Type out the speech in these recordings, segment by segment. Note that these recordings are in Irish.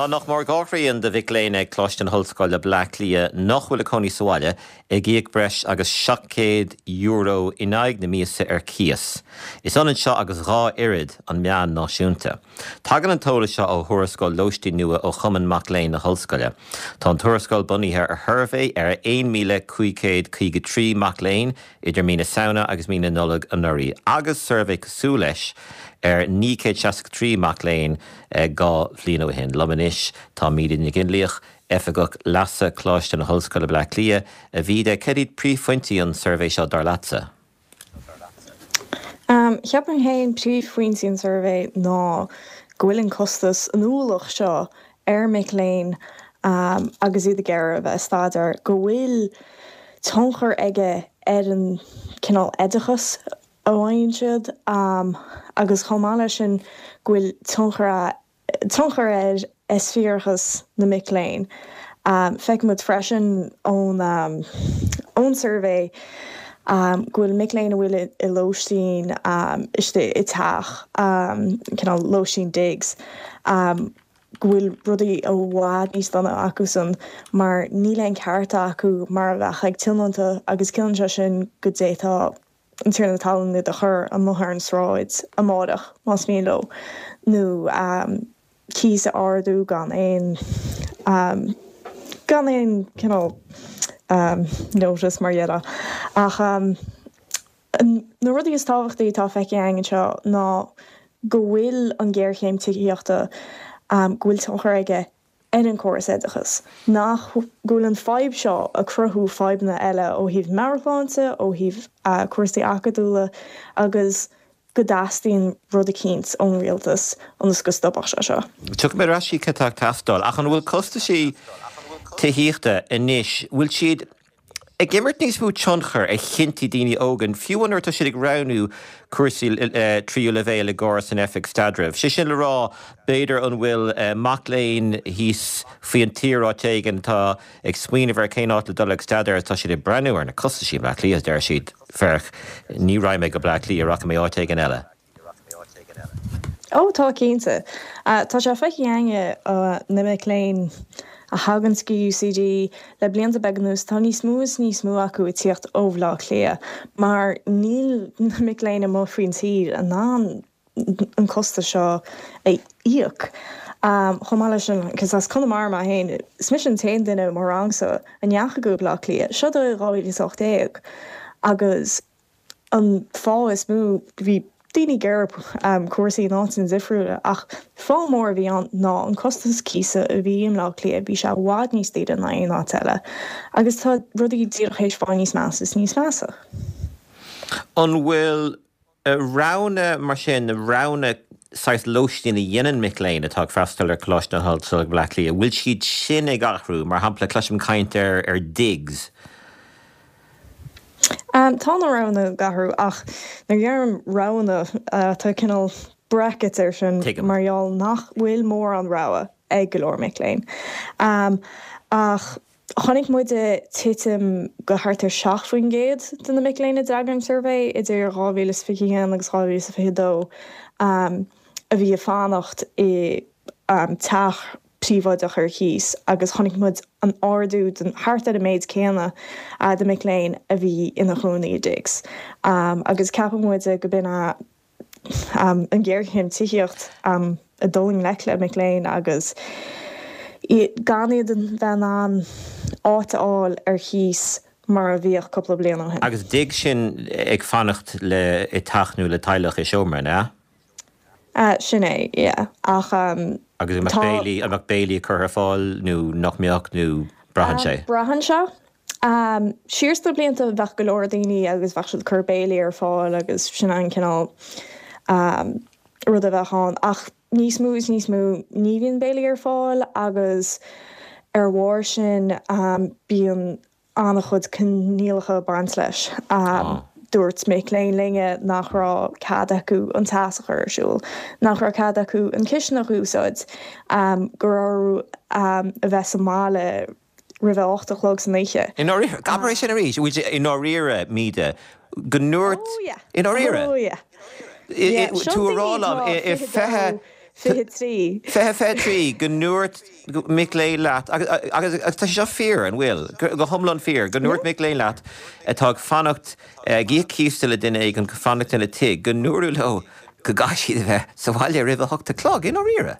Tá nach mór 2 thrian de mhic léinn ag Coláiste na hOllscoile, Bleá Cliath, nach bhfuil ag cónaí sa bhaile, ag íoc breis agus €700 in aghaidh na míosa ar cíos. Is ionann seo agus 2 oiread an meán náisiúnta. Tagann an t-eolas seo ó thuarascáil lóistín nua ó Chumann Mac Léinn na hOllscoile. Tá an tuarascáil bunaithe ar shuirbhé ar 1,553 mac léinn idir mí na Samhna agus mí na Nollag anuraidh agus suirbhé cosúil leis ar 963 mac léinn 2 bhliain ó shin. Liom anois tá Míde Nic Fhionnlaoich, Oifigeach Leasa Coláiste na hOllscoile Bleá Cliath. A Mhíde, cad iad príomhphointí an tsuirbhé seo dar leatsa? Cheapfainn féin príomhphointí an tsuirbhé ná go bhfuil an costas, an ualach seo ar mic léinn agus iad ag iarraidh a bheith ag staidéar, go bhfuil tionchar aige ar an cineál oideachas a fhaigheann siad agus chomh maith leis sin go bhfuil tionchar tionchar ar eispéireachas na mic léinn. Feicimid freisin ón ón suirbhé go bhfuil mic léinn a bhfuil i lóistín istigh i teach, cineál lóistín digs, go bhfuil rudaí i bhfad níos dona acusan mar níl aon cearta acu mar a bheadh ag tionónta agus ciallaíonn sé sin go d'fhéadfadh an tiarna talún iad a chur amuigh ar an sráid amáireach más mian leo nó cíos a ardú gan aon gan aon cineál notice mar dhea. Ach na rudaí is tábhachtaí atá feicthe againn anseo ná go bhfuil an ghéarchéim tithíochta, go bhfuil tionchar aige ar an gcóras oideachais, nach go bhfuil an fadhb seo ag cruthú fadhbanna eile ó thaobh meabhairshláinte, ó thaobh cúrsaí acadúla agus go dteastaíonn rud eicínt ón rialtas ionas go stopfadh sé seo. Tiocfaidh mé ar ais chuig cad tá ag teastáil, ach an bhfuil costaisí tithíochta anois, bhfuil siad ag imirt níos mó tionchair ar chinntí daoine óga, fiú nuair atá siad ag roghnú cúrsaí tríú leibhéal i gcóras an Oifig Staidrimh. Sé sin le rá, b'fhéidir an bhfuil mac léinn thíos faoin tír áit éigin atá ag smaoineamh ar cén áit le dul ag staidéar agus tá siad ag breathnú ar na costaisí i mBleá Cliath, deir siad, féach, ní raghaidh mé go Bleá Cliath, rachaidh mé áit éigin eile. Ó tá, cinnte. Tá sé feicthe againne na mic léinn a thaganns go UCD le blianta beaga anuas, tá níos mó is níos mó acu ag tíocht ó Bhleá Cliath mar níl na mic léinn amuigh faoin tír in ann an costas seo a íoc. Chomh maith leis sin, cos as Conamara mé féin, is mise an t-aon duine i mo rangsa a ndeachaigh go Bleá Cliath, seo do 2018 agus An fáth is mó, bhí daoine ag iarraidh cúrsaí in áiteanna difriúla ach fáth mór a bhí ann ná an costas cíosa a bhí i mBleá Cliath, bhí sé i bhfad níos daoire ná aon áit eile agus tá rudaí díreach théis fáil níos measa is níos measa. An bhfuil roghanna mar sin, na roghanna saghas lóistín a dhéanann mic léinn atá ag freastal ar Choláiste na hOllscoile Bleá Cliath, an bhfuil siad sin ag athrú? Mar shampla, cloisim caint ar ar digs. Tá na roghanna ag athrú ach nuair a deirim roghanna tá cineál brackets air sin mar gheall nach bhfuil mórán rogha ag go leor mic léinn. Ach chonaic muide titim go thart ar 7% de na mic léinn a d'fhreagair an suirbhé idir 2021 agus 2022 a bhí ag fanacht i teach príobháideach ar chíos agus chonaic muid an ardú den thart ar an méid céanna de mic léinn a bhí ina chónaí i digs agus ceapann muid go b'in an ghéarchéim tithíocht ag dul i ngleic le mic léinn agus gan iad a bheith in ann áit a fháil ar chíos mar a bhíodh cúpla bliain ó shin. Agus dig sin ag fanacht le i teach nó le teaghlach i seomra, an ea? Sin é, yeah. Ach Agus an mbeadh béilí, an mbeadh béilí curtha ar fáil nó nach mbeadh nó braitheann sé? Braitheann sé. Siar sna blianta bheadh go leor daoine agus bheadh siad ag cur béilí ar fáil agus sin an cineál rud a bheadh ann. Ach níos mó is níos mó ní bhíonn béilí ar fáil agus ar bharr sin bíonn an-chuid coinníollacha ag baint leis. Dúirt mic léinn linne nach raibh cead acu an teas a chur ar siúl, nach raibh cead acu an chisteanach a úsáid, go raibh orthu a bheith sa mbaile roimh a 8 a chlog san oíche. I ndáiríre? Abair é sin arís. Bhfuil sé i ndáiríre, Míde, go ndúirt. Oh yeah. I ndáiríre? Oh yeah. Yeah. Tú a rá liom i 20. 2023. 2023, go ndúirt mic léinn leat, agus tá sé seo fíor, an bhfuil? Go hiomlán fíor, go ndúirt mic léinn leat atá ag fanacht, ag íoc cíosa le duine éigin, ag fanacht ina tigh, go ndúradh leo go gcaithfidh siad a bheith sa bhaile roimh a hocht a chlog, i ndáiríre?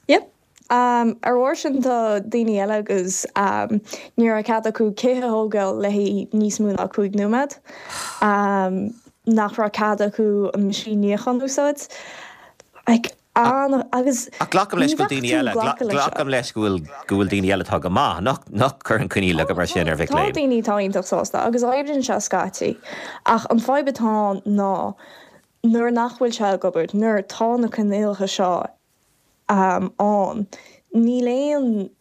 Yep. Ar bharr sin tá daoine eile agus ní raibh cead acu cith a thógáil le haghaidh níos mó ná 5 nóiméad, nach raibh cead acu an meaisín níocháin a úsáid. Like, an, agus Ach glacaim leis go bhfuil daoine eile, glacaim leis go bhfuil, go bhfuil daoine eile atá go maith, nach, nach gcuireann coinníollacha mar sin ar mhic léinn. Tá daoine atá iontach sásta agus oibríonn sé scaití ach an fadhb atá ann ná nuair nach bhfuil sé ag obair, nuair tá na coinníollacha seo ann. Níl aon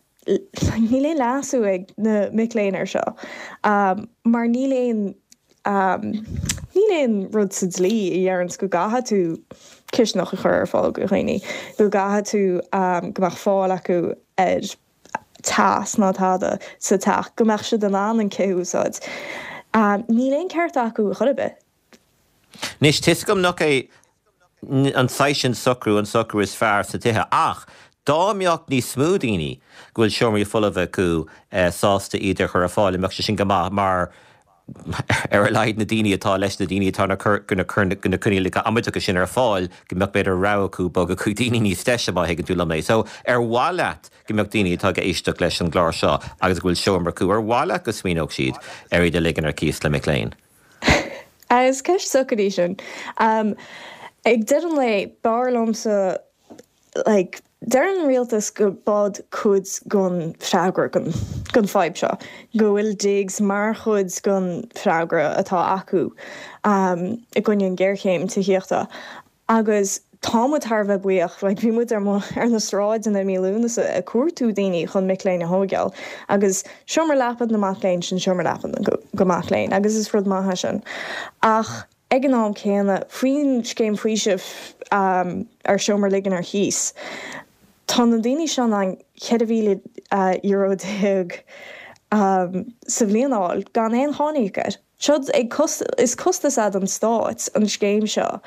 níl aon leasú ag na mic léinn air seo mar níl aon níl aon rud sa dlí a dheireanns go gcaithfidh tú cisteanach a chur ar fáil do dhaoine, go gcaithfidh tú go mbeadh fáil acu ar teas ná tada sa teach, go mbeadh siad in ann an cith a úsáid. Níl aon ceart acu chor ar bith. Anois, tá 'fhios agam nach é an saghas sin socrú an socrú is fearr sna tithe ach dá mbeadh níos mó daoine go bhfuil seomraí folmha acu sásta iad a chur ar fáil, an mbeadh sé sin go maith mar ar a laghad na daoine atá leis na daoine atá ag cur na coinníollacha amaideacha sin ar fáil go mbeadh b'fhéidir rogha acu bogadh chuig daoine níos deise má thuigeann tú liom é. So ar mhaith leat go mbeadh daoine atá ag éisteacht leis an gclár seo agus go bhfuil seomra acu, ar mhaith leat go smaoineodh siad ar iad a ligean ar cíos le mic léinn? Is ceist socair í sin. Ag deireadh an lae, b'fhearr liomsa, like, deir an rialtas go b'eod cuid den freagra don fadhb seo, go bhfuil digs mar chuid den freagra atá acu i gcoinne an ghéarchéim tithíochta. Agus tá muid thar a bheith buíoch, like bhí muid ar ar na sráideanna i mí Lúnasa ag cuartú daoine chun mic léinn a thóigeáil agus seomra leapa na mac léinn, sin seomra leapa na mac léinn agus is rud maith é sin. Ach ag an am céanna, faoin scéim faoisimh ar seomra a ligean ar chíos, tá na daoine seo in ann €14,000 sa bhliain a fháil gan aon cháin a íoc air. Seo ag is costas é don stát an scéim seo.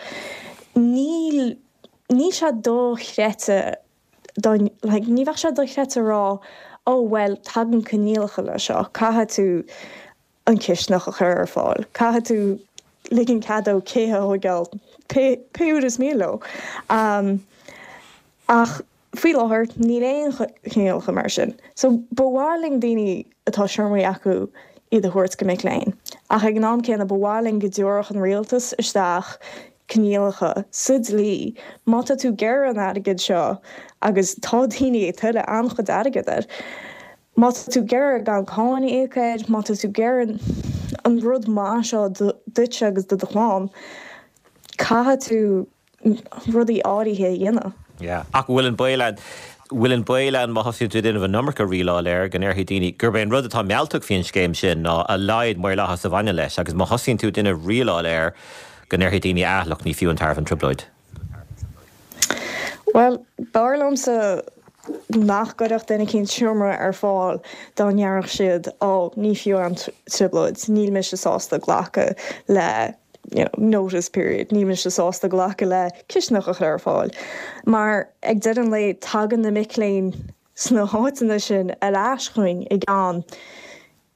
Níl níl sé dochreidte dá like ní bheadh sé dochreidte a rá oh bhuel tagann coinníollacha le seo, caithfidh tú an cisteanach a chur ar fáil, caithfidh tú ligean cead dóibh cith a thóigeáil pé pé uair is mian leo. Ach Faoi láthair, níl aon choinníollacha mar sin. So, ba mhaith linn daoine atá seomraí acu iad a thabhairt go mic léinn. Ach ag an am céanna, ba mhaith linn go dtabharfadh an rialtas isteach coinníollacha sa dlí. Má tá tú ag iarraidh an airgead seo, agus tá daoine ag tuilleamh an-chuid airgead air, má tá tú ag iarraidh gan cáin a íoc air, má tá tú ag iarraidh an rud maith seo duitse agus do do chlann, caithfidh tú rudaí áirithe a dhéanamh. Yeah. Ach bhfuil an baol ann, bhfuil an baol ann má thosaíonn tú ag déanamh an iomarca rialáil air, go ndéarfaidh daoine gurb é an rud atá mealltach faoin scéim sin ná a laghad maorlathas a bhaineann leis agus má thosaíonn tú ag déanamh rialáil air go ndéarfaidh daoine ah look ní fiú an tairbhe an trioblóid. Bhuel, b'fhearr liomsa nach gcuirfeadh duine eicínt seomra ar fáil dá ndéarfadh siad oh ní fiú an trioblóid, níl mise sásta glacadh le you know, notice period, níl mise sásta glacadh le cisteanach a chur ar fáil. Mar ag deireadh an lae tagann na mic léinn sna háiteanna sin ar ais chugainn i gceann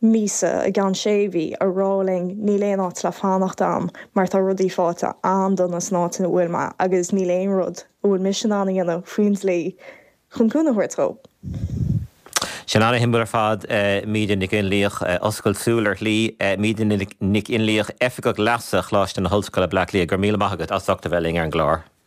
míosa, i gceann sé mhí, a rá linn níl aon áit le fanacht a'm mar tá rudaí fáite an-dona san áit ina bhfuil mé agus níl aon rud a bhfuil mise in ann a dhéanamh faoin dlí chun cúnamh a thabhairt dhóibh. Sin ana-shuimiúil ar fad, Míde Nic Fhionnlaoich. Oscailt súl ar shlí. Míde Nic Fhionnlaoich, Oifigeach Leasa Choláiste na hOllscoile, Bleá Cliath. Go raibh míle maith agat as ucht a bheith linn ar an gclár.